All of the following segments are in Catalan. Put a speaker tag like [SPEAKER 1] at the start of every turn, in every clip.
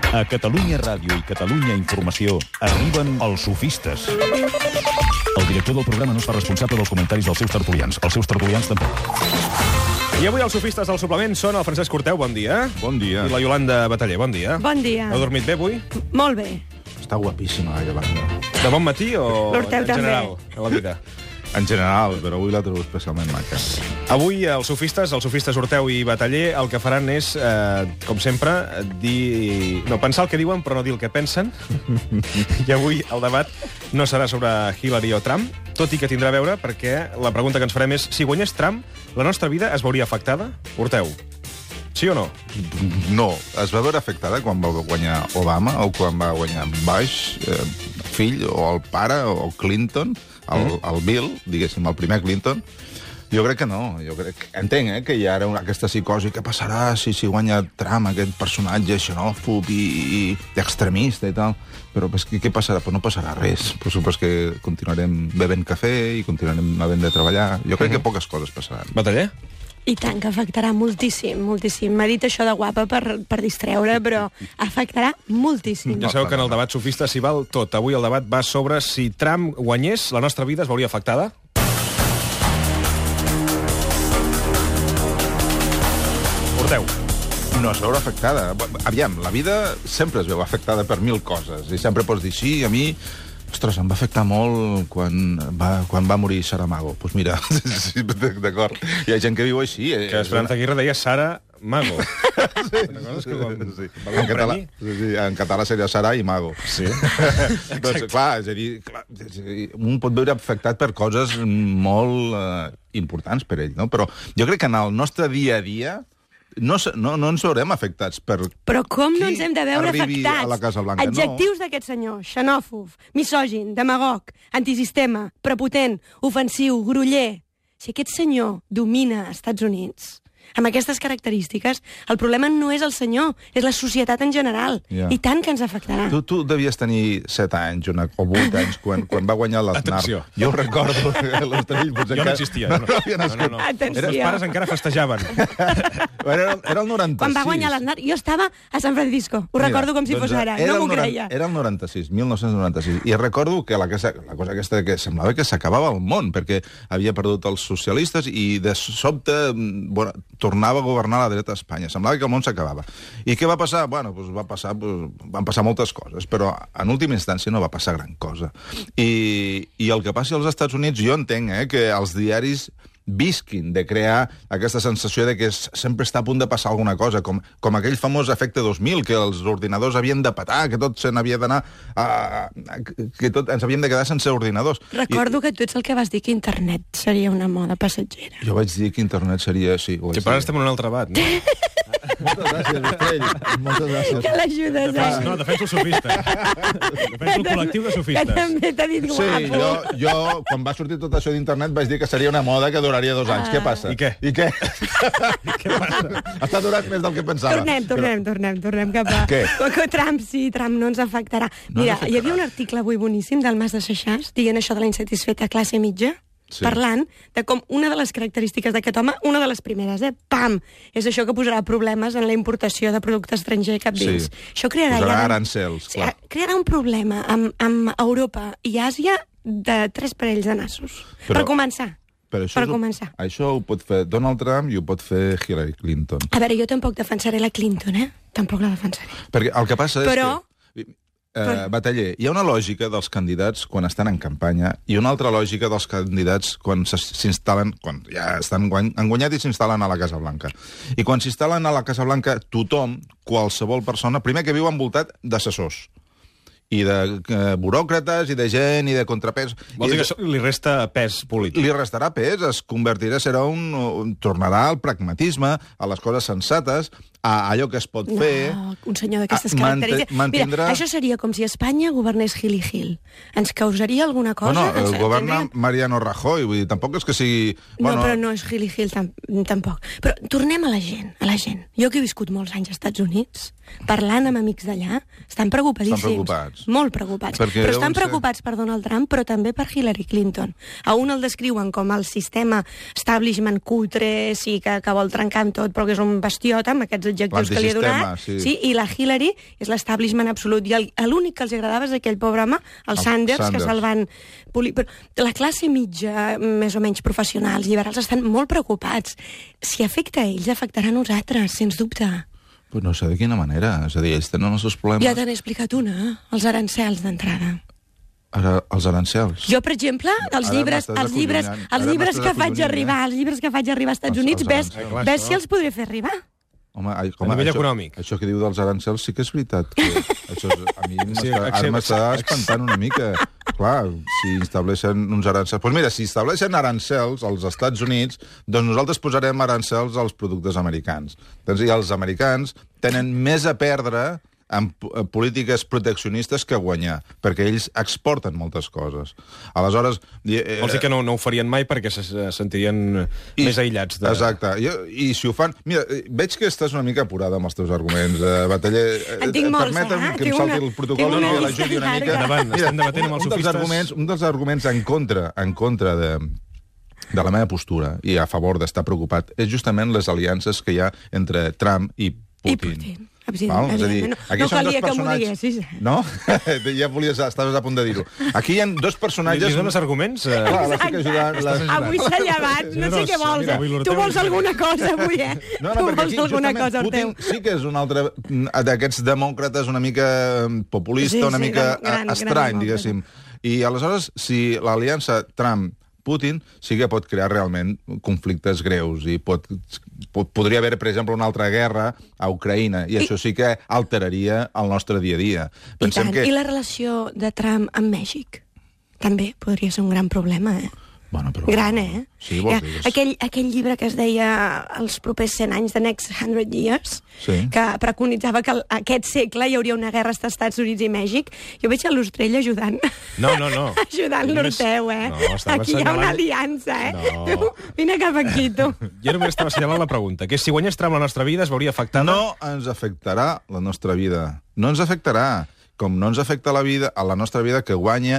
[SPEAKER 1] A Catalunya Ràdio i Catalunya Informació arriben els sofistes. El director del programa no es fa responsable dels comentaris dels seus tertulians. Els seus tertulians tampoc.
[SPEAKER 2] I avui els sofistes del suplement són el Francesc Corteu, bon dia.
[SPEAKER 3] Bon dia.
[SPEAKER 2] I la Iolanda Bataller, bon dia.
[SPEAKER 4] Bon dia.
[SPEAKER 2] Heu dormit bé avui?
[SPEAKER 4] Molt bé.
[SPEAKER 3] Està guapíssima, la Iolanda.
[SPEAKER 2] De bon matí o
[SPEAKER 4] L'Horteu
[SPEAKER 2] en
[SPEAKER 4] també.
[SPEAKER 2] general? A la vida.
[SPEAKER 3] En general, però avui la trobo especialment maca.
[SPEAKER 2] Avui els sofistes Horteu i Bataller, el que faran és, com sempre, pensar el que diuen però no dir el que pensen. I avui el debat no serà sobre Hillary o Trump, tot i que tindrà a veure perquè la pregunta que ens farem és si guanyés Trump, la nostra vida es veuria afectada? Horteu, sí o no?
[SPEAKER 3] No, es va veure afectada quan va guanyar Obama o quan va guanyar Bush, fill, o el pare, o Clinton, el Bill, diguéssim, el primer Clinton. Jo crec que no. Entenc que hi ha ara aquesta psicosi. Què passarà si guanya Trump, aquest personatge xenòfob i extremista i tal? Però què passarà? Pues no passarà res. Per supost que continuarem bevent cafè i continuarem havent de treballar. Jo crec que poques coses passaran.
[SPEAKER 2] Bataller?
[SPEAKER 4] I tant, que afectarà moltíssim, moltíssim. M'ha dit això de guapa per distreure, però afectarà moltíssim.
[SPEAKER 2] Ja sabeu que en el debat sofista s'hi val tot. Avui el debat va sobre si Trump guanyés, la nostra vida es veuria afectada? Horteu.
[SPEAKER 3] No es veurà afectada. Aviam, la vida sempre es veu afectada per mil coses. I sempre pots dir, sí, a mi... Ostres, em va afectar molt quan va morir Saramago. Doncs mira, sí, d'acord. Hi ha gent que viu així.
[SPEAKER 2] Que Esperanza Aguirre deia Sara Mago.
[SPEAKER 3] Sí. En català seria Sara i Mago.
[SPEAKER 2] Sí.
[SPEAKER 3] Doncs, clar, és a dir, un pot veure afectat per coses molt importants per ell, no? Però jo crec que en el nostre dia a dia no ens veurem afectats per...
[SPEAKER 4] Però com no ens hem de veure
[SPEAKER 3] arribi
[SPEAKER 4] afectats?
[SPEAKER 3] a la Casa Blanca,
[SPEAKER 4] Adjectius d'aquest senyor: xenòfob, misògin, demagog, antisistema, prepotent, ofensiu, groller. Si aquest senyor domina als Estats Units amb aquestes característiques, el problema no és el senyor, és la societat en general.
[SPEAKER 3] Ja.
[SPEAKER 4] I tant que ens afectarà.
[SPEAKER 3] Tu devies tenir 7 anys o 8 anys quan va guanyar l'Aznar.
[SPEAKER 2] Atenció.
[SPEAKER 3] Jo ho recordo.
[SPEAKER 2] Jo no existia. No.
[SPEAKER 4] Atenció.
[SPEAKER 2] Els pares encara festejaven.
[SPEAKER 3] Era el 96.
[SPEAKER 4] Quan va guanyar l'Aznar, jo estava a San Francisco. Ho recordo com si fos ara. No m'ho creia.
[SPEAKER 3] Era el 96, 1996. I recordo que la cosa aquesta que semblava que s'acabava el món, perquè havia perdut els socialistes i de sobte tornava a governar la dreta a Espanya. Semblava que el món s'acabava. I què va passar? Bueno, van passar moltes coses, però en última instància no va passar gran cosa. I el que passi als Estats Units, jo entenc que els diaris visquin de crear aquesta sensació de que sempre està a punt de passar alguna cosa, com aquell famós efecte 2000, que els ordinadors havien de petar, que tot se n'havia d'anar... que tot ens havíem de quedar sense ordinadors.
[SPEAKER 4] Recordo que tu ets el que vas dir que internet seria una moda passatgera.
[SPEAKER 3] Jo vaig dir que internet seria... Sí,
[SPEAKER 2] que per ara estem en un altre debat, no?
[SPEAKER 3] Moltes gràcies, Estrell. Moltes gràcies.
[SPEAKER 4] Que l'ajudes,
[SPEAKER 2] No, defenso els sofistes. Defenso el col·lectiu de sofistes.
[SPEAKER 4] Que també t'ha dit guapo.
[SPEAKER 3] Sí, jo, quan va sortir tot això d'internet, vaig dir que seria una moda que duraria 2 anys. Què passa?
[SPEAKER 2] I què? Què passa?
[SPEAKER 3] Està durant més del que pensava.
[SPEAKER 4] Tornem cap a...
[SPEAKER 3] Què?
[SPEAKER 4] Trump no ens afectarà. Mira, hi havia un article avui boníssim del Mas de Seixàs dient això de la insatisfeta classe mitja, parlant de com una de les característiques d'aquest home, una de les primeres, pam, és això que posarà problemes en la importació de producte estranger cap dins. Això crearà
[SPEAKER 3] arancels, clar.
[SPEAKER 4] Crearà un problema amb Europa i Àsia de 3 parells de nassos. Per començar.
[SPEAKER 3] Això ho pot fer Donald Trump i ho pot fer Hillary Clinton.
[SPEAKER 4] A veure, jo tampoc defensaré la Clinton, Tampoc la defensaré.
[SPEAKER 3] Perquè el que passa és que... Bataller, hi ha una lògica dels candidats quan estan en campanya i una altra lògica dels candidats quan s'instal·len, quan ja han guanyat i s'instal·len a la Casa Blanca. I quan s'instal·len a la Casa Blanca, tothom, qualsevol persona, primer que viu envoltat d'assessors i de buròcrates, i de gent, i de contrapès.
[SPEAKER 2] Vols dir que això li resta pes polític?
[SPEAKER 3] Li restarà pes, tornarà al pragmatisme, a les coses sensates, a allò que es pot fer...
[SPEAKER 4] Un senyor d'aquestes característiques... Mira, això seria com si Espanya governés Gil i Gil. Ens causaria alguna cosa?
[SPEAKER 3] No, governa Mariano Rajoy, vull dir, tampoc és que sigui...
[SPEAKER 4] No, però no és Gil i Gil tampoc. Però tornem a la gent, Jo que he viscut molts anys als Estats Units, parlant amb amics d'allà, estan preocupadíssims.
[SPEAKER 3] Estan preocupats.
[SPEAKER 4] Molt preocupats. Però estan preocupats per Donald Trump, però també per Hillary Clinton. A un el descriuen com el sistema establishment cutre, sí, que vol trencar amb tot, però que és un bastiot amb aquests els adjectius que li ha donat.
[SPEAKER 3] Sí.
[SPEAKER 4] I la Hillary és l'establishment absolut. I l'únic que els agradava és aquell pobre home, el Sanders, que se'l van polir. Però la classe mitja, més o menys professionals, liberals, estan molt preocupats. Si afecta a ells, afectarà a nosaltres, sens dubte.
[SPEAKER 3] Pues no sé de quina manera. És a dir, ells tenen els seus problemes.
[SPEAKER 4] Ja te n'he explicat una, els arancels d'entrada.
[SPEAKER 3] Ara, els arancels.
[SPEAKER 4] Jo, per exemple, els llibres que faig arribar als Estats Units, ves si els podré fer arribar.
[SPEAKER 3] Home,
[SPEAKER 2] a nivell econòmic.
[SPEAKER 3] Això que diu dels arancels sí que és veritat. A mi m'està espantant una mica. Clar, si estableixen uns arancels... Doncs mira, si estableixen arancels als Estats Units, doncs nosaltres posarem arancels als productes americans. I els americans tenen més a perdre en polítiques proteccionistes que guanyar, perquè ells exporten moltes coses. Aleshores...
[SPEAKER 2] Vols dir que no ho farien mai perquè se sentirien més aïllats.
[SPEAKER 3] Exacte. I si ho fan... Mira, veig que estàs una mica apurada amb els teus arguments, Bataller.
[SPEAKER 4] En tinc molts,
[SPEAKER 3] permetem que em salti el protocol i l'ajudi una mica.
[SPEAKER 2] Endavant, estem debatent amb els sofistes.
[SPEAKER 3] Un dels arguments en contra de la meva postura i a favor d'estar preocupat és justament les aliances que hi ha entre Trump i Putin. És a dir, aquí són dos personatges... No? Ja estaves a punt de dir-ho. Aquí hi ha dos personatges...
[SPEAKER 2] Li dones arguments?
[SPEAKER 3] Clar, la estic ajudant.
[SPEAKER 4] Avui s'ha llevat, no sé què vols. Tu vols alguna cosa avui,
[SPEAKER 3] No, perquè aquí justament Putin sí que és un altre d'aquests demòcrates una mica populista, una mica estrany, diguéssim. I aleshores, si l'aliança Trump-Putin sí que pot crear realment conflictes greus i podria haver, per exemple, una altra guerra a Ucraïna, i això sí que alteraria el nostre dia a dia.
[SPEAKER 4] I la relació de Trump amb Mèxic? També podria ser un gran problema,
[SPEAKER 3] Bueno, però...
[SPEAKER 4] Gran,
[SPEAKER 3] Sí, vols dir.
[SPEAKER 4] Aquell llibre que es deia Els propers 100 anys, The Next 100 Years, que preconitzava que aquest segle hi hauria una guerra als Estats Units i Mèxic. Jo veig a l'Ostrell ajudant.
[SPEAKER 2] No.
[SPEAKER 4] Ajudant l'Orteu, Aquí hi ha una aliança,
[SPEAKER 2] No.
[SPEAKER 4] Vine cap aquí, tu.
[SPEAKER 2] Jo només estava assenyalant la pregunta, que si guanyés Trump la nostra vida es veuria afectada...
[SPEAKER 3] No ens afectarà la nostra vida. No ens afectarà. Com no ens afecta a la nostra vida que guanyi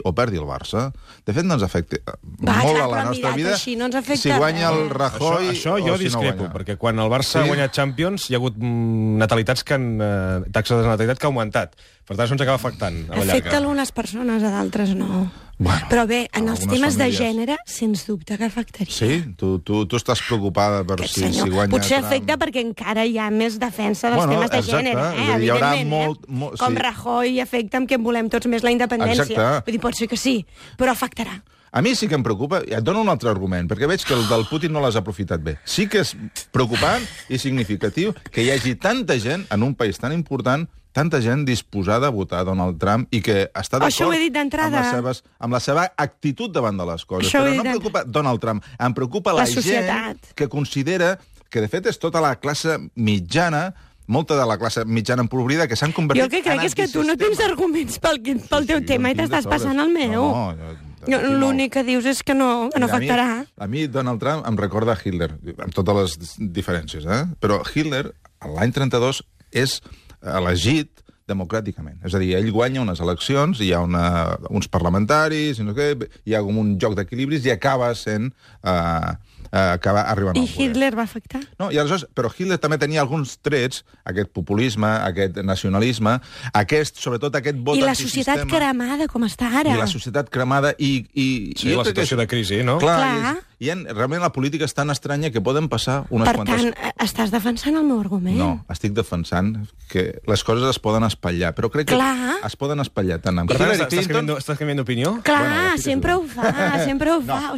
[SPEAKER 3] o perdi el Barça. De fet, no ens afecta molt a la nostra vida
[SPEAKER 4] així, no
[SPEAKER 3] si guanya el Rajoy
[SPEAKER 2] això jo discrepo, perquè quan el Barça ha guanyat Champions hi ha hagut taxa de natalitat que ha augmentat. Per tant, això ens acaba afectant a la llarga.
[SPEAKER 4] Afecta a algunes persones, a d'altres no.
[SPEAKER 3] Bueno,
[SPEAKER 4] però bé, en els temes de gènere, sens dubte que afectaria.
[SPEAKER 3] Sí? Tu estàs preocupada per si guanya...
[SPEAKER 4] Potser afecta perquè encara hi ha més defensa dels temes de gènere,
[SPEAKER 3] Hi haurà
[SPEAKER 4] com Rajoy afecta amb què en volem tots més la independència.
[SPEAKER 3] Exacte.
[SPEAKER 4] Vull dir, pot ser que sí, però afectarà.
[SPEAKER 3] A mi sí que em preocupa, et dono un altre argument, perquè veig que el del Putin no l'has aprofitat bé. Sí que és preocupant i significatiu que hi hagi tanta gent en un país tan important, tanta gent disposada a votar Donald Trump i que està d'acord amb la seva actitud davant de les coses. Però no em preocupa Donald Trump, em preocupa la gent que considera que, de fet, és tota la classe mitjana, molta de la classe mitjana empobrida, que s'han convertit en
[SPEAKER 4] antisistema. Jo que crec és que tu no tens arguments pel teu tema i t'estàs passant el meu. L'únic que dius és que no afectarà.
[SPEAKER 3] A mi Donald Trump em recorda Hitler, amb totes les diferències, però Hitler, l'any 32, és elegit democràticament. És a dir, ell guanya unes eleccions, hi ha uns parlamentaris, hi ha com un joc d'equilibris i acaba sent... acaba arribant al poder.
[SPEAKER 4] I Hitler va afectar?
[SPEAKER 3] No, però Hitler també tenia alguns trets, aquest populisme, aquest nacionalisme, sobretot aquest vot antisistema.
[SPEAKER 4] I la societat cremada, com està ara.
[SPEAKER 3] I la societat cremada i
[SPEAKER 2] sí, la situació de crisi, no?
[SPEAKER 3] Clar. Realment la política és tan estranya que poden passar unes quantes...
[SPEAKER 4] Per tant, estàs defensant el meu argument?
[SPEAKER 3] No, estic defensant que les coses es poden espatllar, però crec que es poden espatllar tant amb Hillary Clinton...
[SPEAKER 2] Estàs canviant d'opinió?
[SPEAKER 4] Clar, sempre ho fa,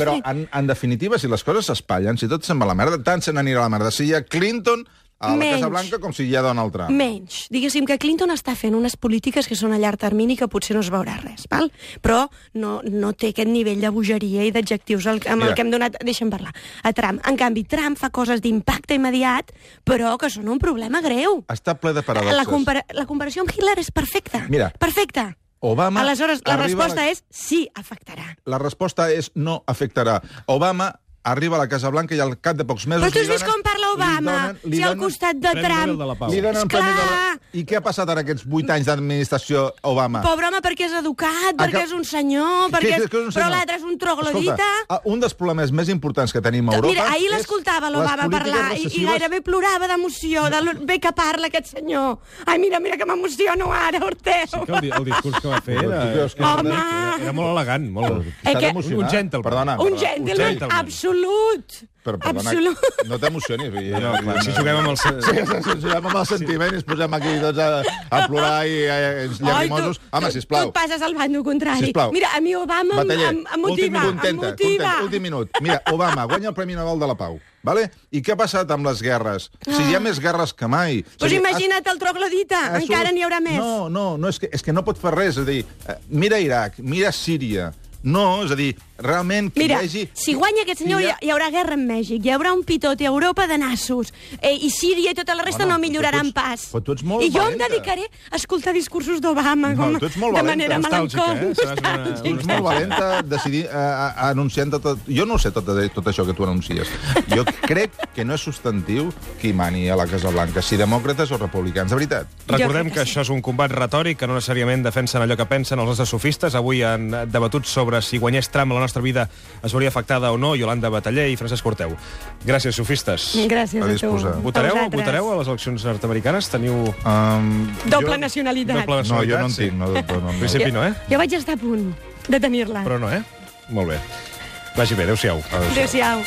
[SPEAKER 3] Però, en definitiva, si les coses s'espatllen, si tot se'n va a la merda, tant se n'anirà a la merda. Si hi ha Clinton a la Casa Blanca com si hi ha Donald Trump.
[SPEAKER 4] Menys. Diguéssim que Clinton està fent unes polítiques que són a llarg termini que potser no es veurà res, val? Però no té aquest nivell de bogeria i d'adjectius amb el que hem donat... Deixa'm parlar. A Trump. En canvi, Trump fa coses d'impacte immediat, però que són un problema greu.
[SPEAKER 3] Està ple de paradoxes.
[SPEAKER 4] La comparació amb Hitler és perfecta.
[SPEAKER 3] Mira.
[SPEAKER 4] Perfecta.
[SPEAKER 3] Obama...
[SPEAKER 4] Aleshores, la resposta és sí, afectarà.
[SPEAKER 3] La resposta és no afectarà. Obama arriba a la Casa Blanca i al cap de pocs mesos...
[SPEAKER 4] Però tu has vist com parla Obama, si al costat de Trump...
[SPEAKER 3] Li donen premi de la... I què ha passat ara aquests 8 anys d'administració Obama?
[SPEAKER 4] Pobre home, perquè és educat, perquè és un senyor, perquè és... Però l'altre és un troglodita.
[SPEAKER 3] Escolta, un dels problemes més importants que tenim a Europa...
[SPEAKER 4] Mira, ahir l'escoltava l'Obama parlar i gairebé plorava d'emoció, de bé que parla aquest senyor. Ai, mira que m'emociono ara, Orteu.
[SPEAKER 2] Sí que el discurs que va fer era molt elegant, molt... Un gentleman.
[SPEAKER 3] Perdona.
[SPEAKER 4] Un gentleman absolut.
[SPEAKER 3] Però, perdona, no t'emocionis.
[SPEAKER 2] Si juguem amb els...
[SPEAKER 3] Si juguem amb el sentiment i ens posem aquí tots a plorar i ens llagrimosos... Home, sisplau.
[SPEAKER 4] Tu et passes al bando contrari.
[SPEAKER 3] Sisplau.
[SPEAKER 4] Mira, a mi Obama em motiva.
[SPEAKER 3] Últim minut. Mira, Obama guanya el Premi Nobel de la Pau. Vale? I què ha passat amb les guerres? Si hi ha més guerres que mai...
[SPEAKER 4] Doncs imagina't el troglodita, encara n'hi haurà més.
[SPEAKER 3] No, és que no pot fer res. És a dir, mira Iraq, mira Síria... No, és a dir, realment...
[SPEAKER 4] Mira, si guanya aquest senyor hi haurà guerra amb Mèxic, hi haurà un pitot a Europa de nassos, i Síria i tota la resta no milloraran pas.
[SPEAKER 3] Però tu ets molt
[SPEAKER 4] I jo
[SPEAKER 3] valenta.
[SPEAKER 4] em dedicaré a escoltar discursos d'Obama de manera melancòlica.
[SPEAKER 3] Tu ets molt valenta decidir anunciant tot... Jo no sé tot això que tu anuncies. Jo crec que no és substantiu qui mani a la Casa Blanca, si demòcrates o republicans, de veritat.
[SPEAKER 2] Recordem que això és un combat retòric, que no necessàriament defensen allò que pensen els nostres sofistes. Avui han debatut sobre si guanyés Trump la nostra vida es veuria afectada o no, Yolanda Bataller i Francesc Orteu. Gràcies, sofistes.
[SPEAKER 4] Gràcies a tu.
[SPEAKER 2] Votareu a les eleccions nord-americanes? Teniu...
[SPEAKER 4] Doble nacionalitat.
[SPEAKER 3] No, jo no en tinc.
[SPEAKER 2] En principi no, eh?
[SPEAKER 4] Jo vaig estar a punt de tenir-la.
[SPEAKER 2] Però no, eh? Molt bé. Vagi bé, adéu-siau.
[SPEAKER 4] Adéu-siau.